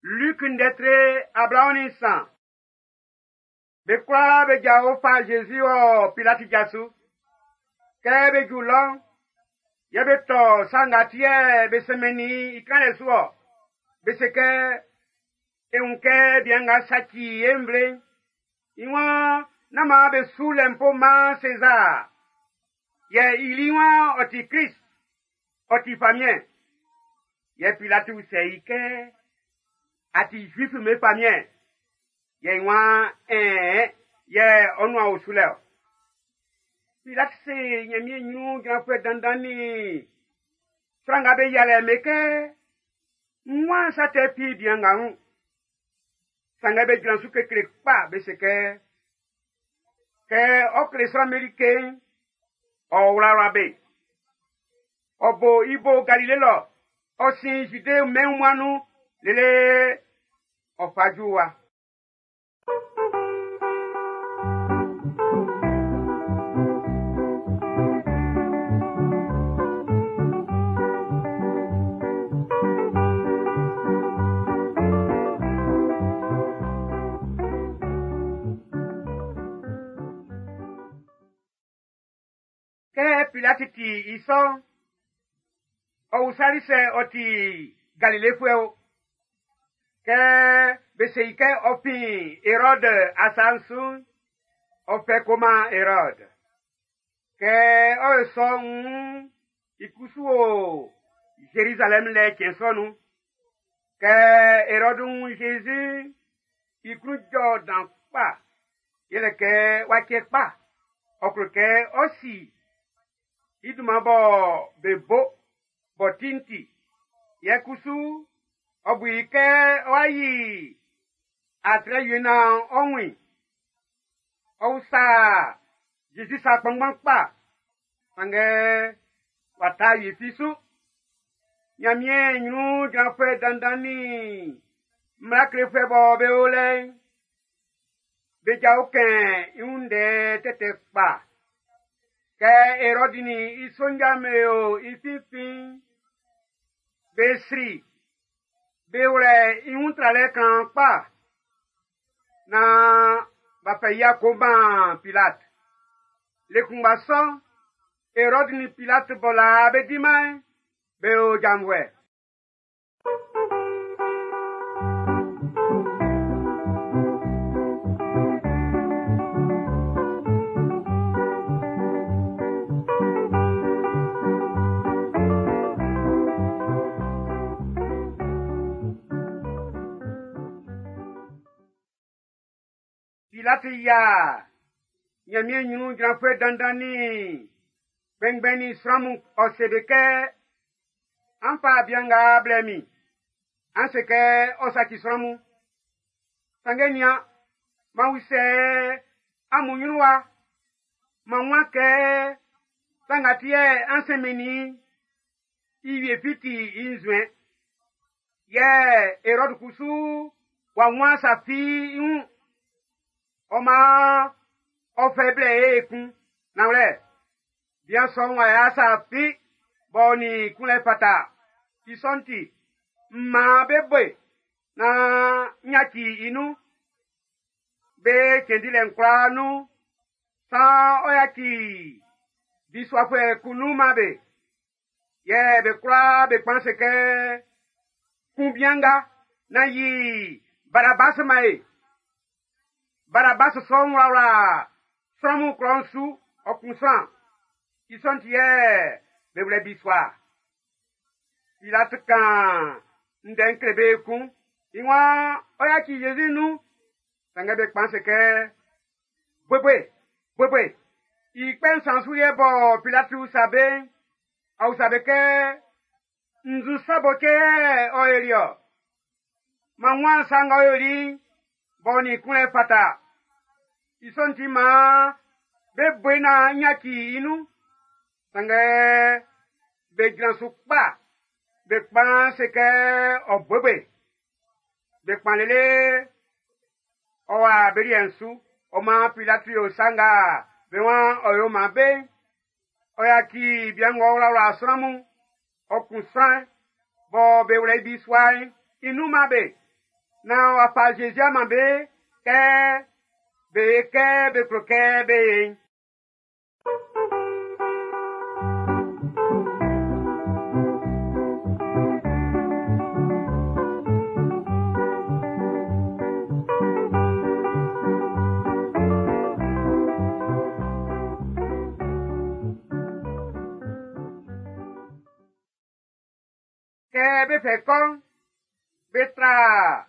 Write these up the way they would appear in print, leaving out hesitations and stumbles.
Luc ndɛ tre 23. Be kwlaa be jao fa Jésus wɔ Pilati ja su. Kɛ be ju lɔ'n, yɛ be tɔ sa nga ti yɛ be sɛnmɛnnin i kanlɛ su ɔ. Be se kɛ, e wun kɛ bian nga saci e nvle'n. I waan nán maan be su lɛnpo man Sezar. Yɛ i li waan ɔ ti Krist, ɔ ti famiɛn. Yɛ Pilati usɛ i kɛ, a ti Zuif'm be famiɛn? Yɛ i waan, ɛɛn, yɛ ɔ nuan o su lɛ ɔ. Pilati se Ɲanmiɛn ɲrun jranfuɛ dandan nin sran nga be yialɛ be kɛ, n waan sa tɛ fi bian nga wun. Sanngɛ be jran su kekle kpa be se kɛ, kɛ ɔ kle sran'm be like'n, ɔ wlawla be. Ɔ bo i bo Galile lɔ, ɔ sin Zude mɛn wunmuan'n nun lele ɔ fa ju wa. Kɛ Pilati ti i sɔ'n, ɔ usali sɛ ɔ ti Galilefuɛ o. Kɛ be se i kɛ ɔ fin Erɔd asa'n su'n, ɔ fɛ ko man Erɔd. Kɛ ɔ yo sɔ'n, i kusu o Zerizalɛm lɛ cɛn sɔ nun. Kɛ Erɔd wun Jésus, i klun jɔ dan kpa, yɛlɛ kɛ w'a cɛ kpa, ɔ klo kɛ ɔ si i dunman bɔ be bo b'ɔ ti'n ti. Yɛ kusu, ɔ bu i kɛ ɔ'a yi atrɛ wie naan ɔ wun i. Ɔ usa Jésus sa kpanngban kpa, sanngɛ w'a ta wie fi su. Ɲanmiɛn ɲrun jranfuɛ dandan nin mmla klefuɛ bɔ be o lɛ'n, be jao kɛn i wun ndɛ tɛtɛ kpa. Kɛ Erɔdi nin i sonja'm be o i finfin'n, be sri, be wlɛ i wun tralɛ klanman kpa naan b'a fɛ i a ko man Pilat. Le kunngba sɔ'n, Erɔdi nin Pilat bɔ laa be diman'n, be o janvuɛ. Pilati yia Ɲanmiɛn ɲrun jranfuɛ dandan nin kpɛnngbɛn nin sran mun, ɔ se be kɛ, an fa bian nga blɛ min, an se kɛ ɔ saci sran mun. Sanngɛ nian, m'an usɛ amun ɲrun wa, m'an wun kɛ sa nga ti yɛ an sɛnmɛnnin i wie fi ti i nzuɛn. Yɛ Erɔd kusu w'a wun sa fi i wun. Ɔ maan ɔ fɛ blɛ e ekun. Nanwlɛ, bian sɔ'n w'a ya sa fi b'ɔ nin kunlɛ fata. I sɔ'n ti, m maan be bo e naan n yaci i nun. Be cɛn dilɛ'n kwlaa nun, saan ɔ yaci bisuafuɛ kun nun man be. Yɛ be kwlaa be kpan se kɛ, kun bian nga, nán yi Barabas man e. Barabas sɔ'n wlawla sran mun klɔ'n su, ɔ kun sran. I sɔ'n ti yɛ be wlɛ bisua. Pilat kan ndɛ'n kle be ekun. I waan ɔ yaci Jésus nun. Sanngɛ be kpan se kɛ, buebue, buebue. I kpɛ nsan su yɛ bɔ Pilati usa be'n, ɔ usa be kɛ, nzu sa bɔ cɛ yɛ ɔ yoli ɔ? Man waan sa nga ɔ yoli'n, b'ɔ nin kunlɛ fata. I sɔ'n ti maan be bo naan n yaci i nun. Sanngɛ be jran su kpa, be kpan se kɛ ɔ buebue. Be kpan lele ɔ wa be liɛ'n su. Ɔ maan Pilati yo sa nga be waan ɔ yo man be'n. Ɔ yaci bian ng'ɔ wlawla sran mun, ɔ kun sran bɔ be wlɛ i bisua'n i nun man be. Naan w'a fa Zezi a man be kɛ be kɛ be klo kɛ be ye'n. Kɛ be fɛ kɔ'n, be tra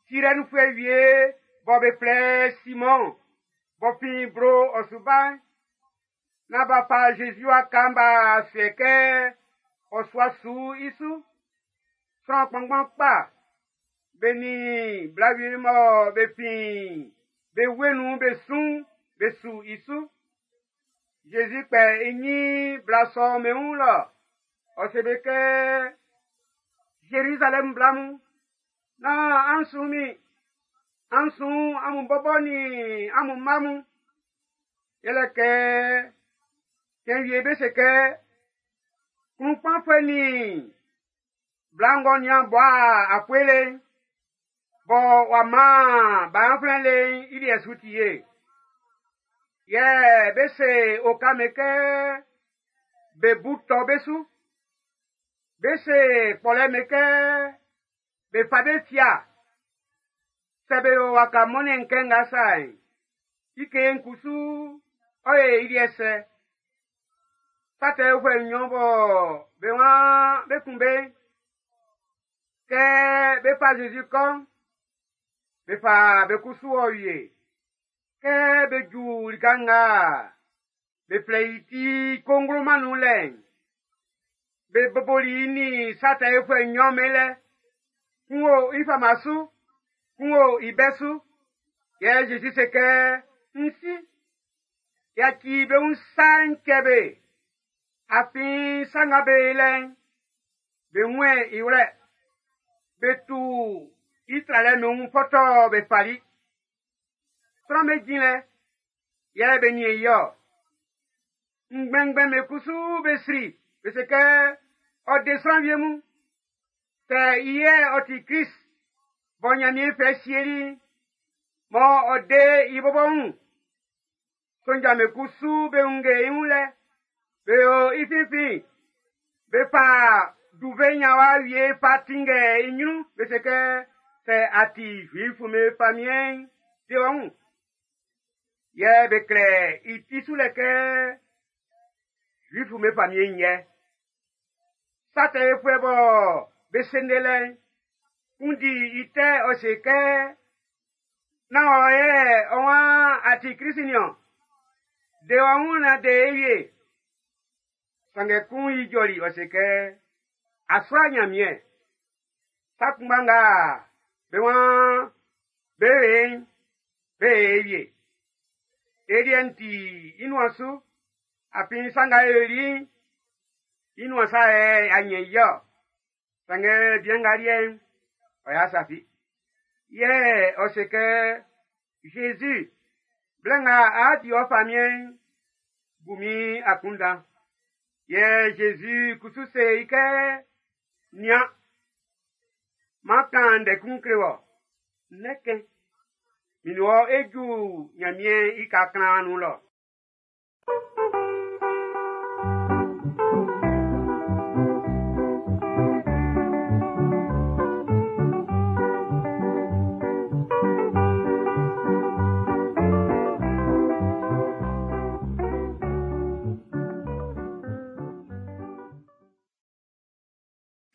Sirɛnfuɛ wie bɔ be flɛ Simɔn b'ɔ fin blo ɔ su ba'n, naan b'a fa Jésus waka'n b'a suɛ kɛ ɔ sua su i su. Sran kpanngban kpa be nin bla wie mɔ be fin be wue nun be su'n be su i su. Jésus kpɛ i ɲin bla sɔ'n be wun lɔ. Ɔ se be kɛ, Zerizalɛm bla mun, nán an sun min, an sun amun bɔbɔ nin amun mma mun. Yɛlɛ kɛ cɛn wie be se kɛ, klunkpanfuɛ nin bla ng'ɔ nian bua akpue le'n, bɔ w'a man gbanflɛn le'n i liɛ su ti ye. Yɛ be se oka'm be kɛ be bu tɔ be su. Be se kpɔlɛ'm be kɛ be fa be fia. Sɛ be yo waka mɔnnɛn kɛ nga sa'n, i kee'n kusu ɔ ye i liɛ sɛ. Sa tɛ yofuɛ nnyɔn bɔ be waan be kun be'n, kɛ be fa Zezi kɔ'n, be fa be kusu ɔ wie. Kɛ be ju lika nga be flɛ i ti kongloman nun lɛ'n, be boboli i nin sa tɛ yofuɛ nnyɔn be lɛ. Kun o i fama su, kun o i bɛ su. Yɛ Zezi se kɛ, n si, yaci be wun sa'n cɛ be. Afin sa nga be lɛ'n, be wun i wlɛ. Be tu i tralɛ nun fɔtɔ be fali. Sran'm be jin lɛ, yɛ be nin i ɔ. Ngbɛngbɛn be kusu be sri, be se kɛ ɔ de sran wie mun. Sɛ i yɛ ɔ ti Krist bɔ Nyanmiɛn fɛ sieli, mɔ ɔ de i bɔbɔ wun. Sonja'm be kusu be wunge i wun lɛ, be yo i finfin, be fa duve nyawa wie fa tinngɛ i ɲrun, be se kɛ sɛ a ti Zuifu'm be famiɛn'n, de ɔ wun. Yɛ be klɛ i ti su lɛ kɛ Zuifu'm be famiɛn'n yɛ. Sa tɛ yofuɛ bɔ be sende lɛ'n, kun di i tɛ ɔ se kɛ, nán ɔ yɛ ɔ waan a ti Krist niɔn. De ɔ wun na de e wie. Sanngɛ kun ijɔli ɔ se kɛ, a sua Nyanmiɛn. Sa kunngba nga be waan be ye'n, be ye wie. E liɛ'n ti i nuan su, afin sa nga e yoli'n, i nuan sa yɛ a ɲɛn i ɔ. Sanngɛ bian nga liɛ'n, ɔ y'a safi. Yɛ ɔ se kɛ, Jésus, blɛ nga a di ɔ famiɛn'n, bu min akunndan. Yɛ Jésus kusu se i kɛ, nian, m'an kan ndɛ kun kle wɔ, nnɛ kɛ, min wɔ e ju Nyanmiɛn i ka klan nun lɔ.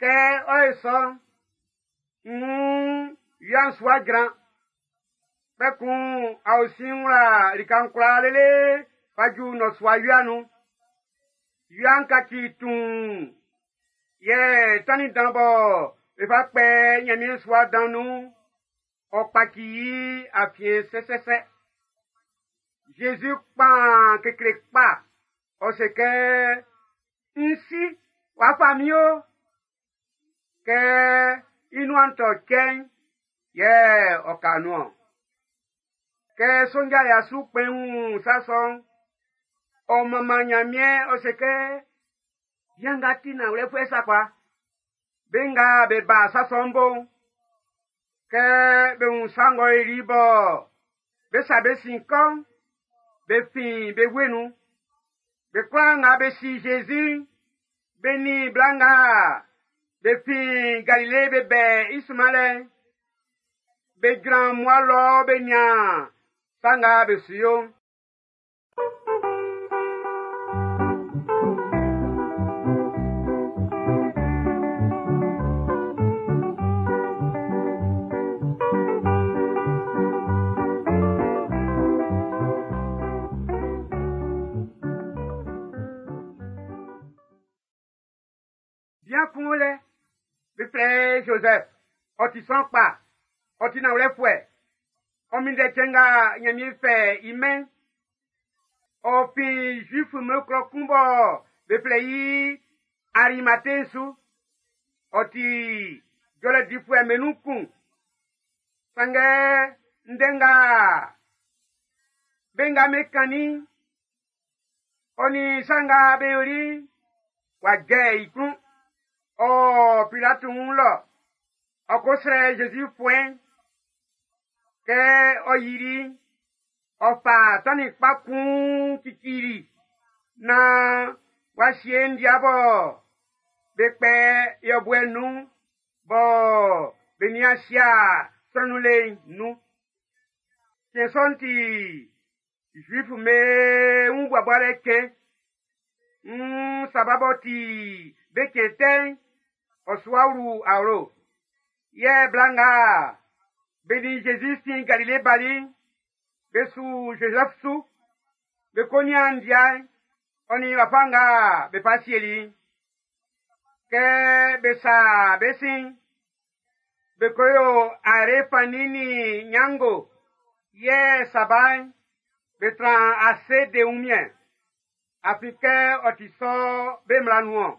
Kɛ ɔ ye sɔ, n wia'n su wa jran. Kpɛkun aosin'n wla lika'n kwlaa lele fa ju nnɔsua wia nun. Wia'n kaci tuun, yɛ tannin dan bɔ be fa kpɛ Nyanmiɛn sua dan nun'n, ɔ kpaci i afiɛn sɛsɛsɛ. Jésus kpan kekle kpa, ɔ se kɛ, n si, w'a fa min o. Kɛ i nuan tɔ cɛ'n, yɛ ɔ ka nun-ɔn. Kɛ sonja ya su kpɛn wun sa sɔ'n, ɔ manman Nyanmiɛn ɔ se kɛ, bian nga ti nanwlɛfuɛ sakpa. Be nga be ba sa sɔ'n bo'n, Kɛ be wun sa ng'ɔ yoli bɔ be sa be sin kɔ'n, be fin be wue nun. Be kwlaa nga be si Jésus'n, be nin bla nga be fin Galile be bɛ i sunmanlɛ'n, be jran mmua lɔ be nian sa nga be su yo'n. Bian kun o lɛ, be flɛ i Zozɛf, ɔ ti sran kpa, ɔ ti nanwlɛfuɛ. Ɔ minndɛ cɛn nga Nyanmiɛn fɛ i mɛn'n. Ɔ fin Zuif'm be klɔ kun bɔ be flɛ i Arimate'n su. Ɔ ti jɔlɛ difuɛ'm be nun kun. Sanngɛ ndɛ nga be nga be kannin'n, ɔ nin sa nga be yoli'n, w'a jɛ i klun. Ɔ Pilati wun lɔ, ɔ ko srɛ Zezi fuɛn'n. Kɛ ɔ yili'n, ɔ fa tannin kpa kun cicili naan w'a sie ndia bɔ be kpɛ yɔbuɛ nun bɔ be nian sia sran nun le'n nun. Cɛn sɔ'n ti Zuif'm be wun buabualɛ cɛn. N Saba b'ɔ ti be cɛn tɛ'n, ɔ su wa wlu awlo. Yɛ bla nga be nin Jésus fin Galile bali'n, be su Zozɛf su. Be ko nian ndia'n, ɔ nin wafa nga be fa sieli'n. Kɛ be sa be sin'n, be ko yo are fannin nin nyango, yɛ saba'n, be tran ase de wunmiɛn. Afin kɛ ɔ ti sɔ be mmla nun-ɔn.